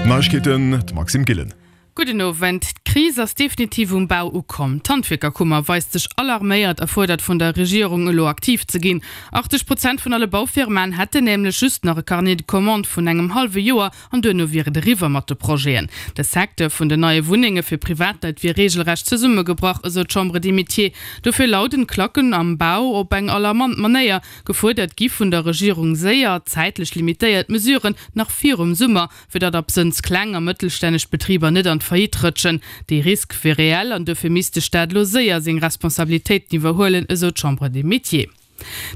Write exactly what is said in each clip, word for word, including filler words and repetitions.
D'Neiegkeeten, de Maxime Gillen. Gudden Owend. D'Kris ass definitiv um Bau ukomm. D'Handwierkerkummer weist sech alarméiert a fuerdert vun der Regierung, elo aktiv ze ginn. achtzeg Prozent vun alle Baufirmaen hätten nämlech just nach e Carnet de commandes vun engem hallwe Joer an duerno wier et eriwwer mat de Projeten. De Secteur vun den neie Wunnenge fir Privatleit wier reegelrecht zesummegebrach, esou d'Chambre des Métiers. Dofir lauden d'Klacken am Bau op eng alarmant Manéier. Gefuerdert gi vun der Regierung séier, zäitlech limitéiert Mesuren nach virum Summer, fir datt absënns kleng a mëttelstänneg Betriber net an d'Faillite rëtschen. Dee Risk wier reell an dofir misst de Staat elo séier seng Responsabilitéiten iwwerhuelen, esou d'Chambre des Métiers.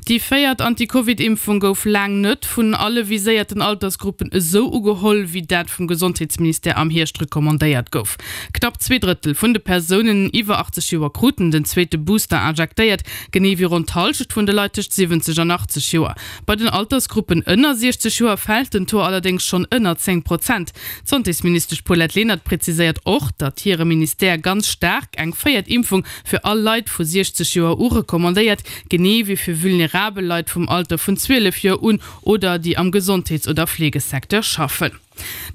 Déi véiert Anti-Covid-Impfung gouf laang net vun alle viséierten Altersgruppen esou ugeholl, wéi dat vum Gesondheetsministère am Hierscht recommandéiert gouf. Knapp zwee Drëttel vun de Persounen iwwer achtzeg Joer kruten den zweete Booster injektéiert, genee wéi ronn d'Hallschent vun de Leit tëscht siwwenzeg an achtzeg Joer. Bei den Altersgruppen ënner siechzeg Joer fält den Taux allerdéngs schonn ënner zéng Prozent. D'Santésministesch Paulette Lenert präziséiert och, datt hire Ministère ganz staark eng véiert Impfung fir all Leit vu siechzeg Joer u recommandéiert, genee wéi fir vulnerabel Leit vum Alter vun zwielef Joer un oder déi am Gesondheets oder Fleegesecteur schaffen.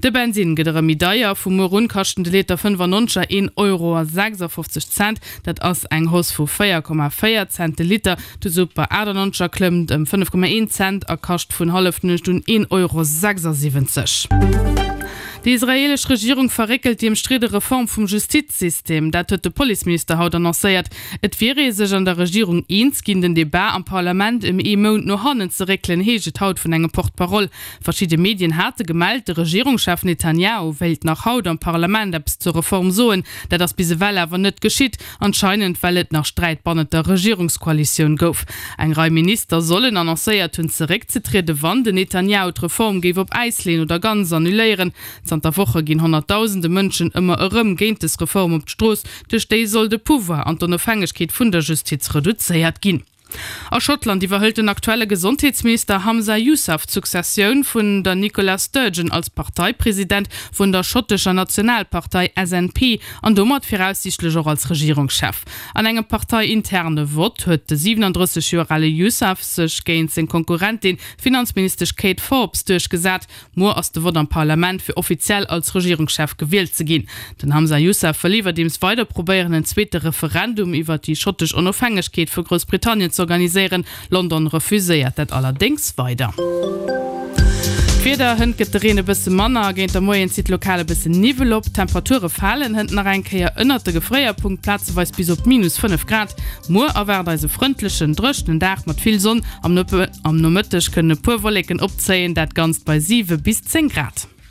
De Bensinn gëtt erëm méi deier, vu muer un kaschten de Liter fënnefannonzeger een Euro a sechsafofzeg Cent, dat ass eng Hausse vu véier Komma véier Cent de Liter. De Super achtannonzeger klëmmt ëm fënnef Komma een Cent a kascht vun Hallefnuecht un een Euro sechsasiwwenzeg. Déi israeelesch Regierung verréckelt déi ëmstridde Reform vum Justizsystem. Dat huet de Policeminister haut annoncéiert. Et wier ee sech an der Regierung eens ginn, den Debat am Parlament ëm ee Mount no hannen ze réckelen, heescht et haut vun engem Porte-parole. Verschidde Medien hate gemellt, de Regierungschef Netanjahu wéilt nach haut am Parlament eppes zur Reform soen. Dat ass bis ewell awer net geschitt, anscheinend well et nach Sträit bannent der Regierungskoalitioun gouf. Eng Rei Minister sollen annoncéiert hunn, zeréckzetrieden, wann den Netanjahu d'Reform géif op Äis leeën oder ganz annuléieren. Zanter Woche ginn Honnertdausende Mënschen ëmmer erëm géint dës Reform op d'Strooss. Duerch déi soll de Pouvoir an d'Onofhängegkeet vun der Justiz reduzéiert ginn. A Schottland iwwerhëlt den aktuelle Gesondheetsminister Hamza Yousaf d'Successioun vun der Nicola Sturgeon als Parteipresident vun der schottescher Nationalpartei S N P an domat viraussiichtlech och als Regierungschef. An engem parteiinterne Vott huet de siwenandrësseg Joer ale Yousaf sech géint seng Konkurrentin, d'Finanzministesch Kate Forbes, duerchgesat. Muer ass de Vott am Parlament, fir offiziell als Regierungschef gewielt ze ginn. Den Hamza Yousaf wëll iwwerdeems weider probéieren, en zweete Referendum iwwer déi schottesch Onofhängegkeet vu Groussbritannien z'organiséieren. London refuséiert dat allerdéngs weider. D'Wieder, Hënt gëtt de Reen e bësse manner, géint de Moien zitt lokal e bëssen Niwwel op. D'Temperature falen hënt nach eng Kéier ënnert de Gefréierpunkt, plazeweis bis op minus fënnef Grad. Muer erwaart eis e frëndlechen, dréchenen Dag mat vill Sonn. Am Nomëtteg kënnen e puer Wolleken opzéien, dat Ganzt bei siwe bis zéng Grad.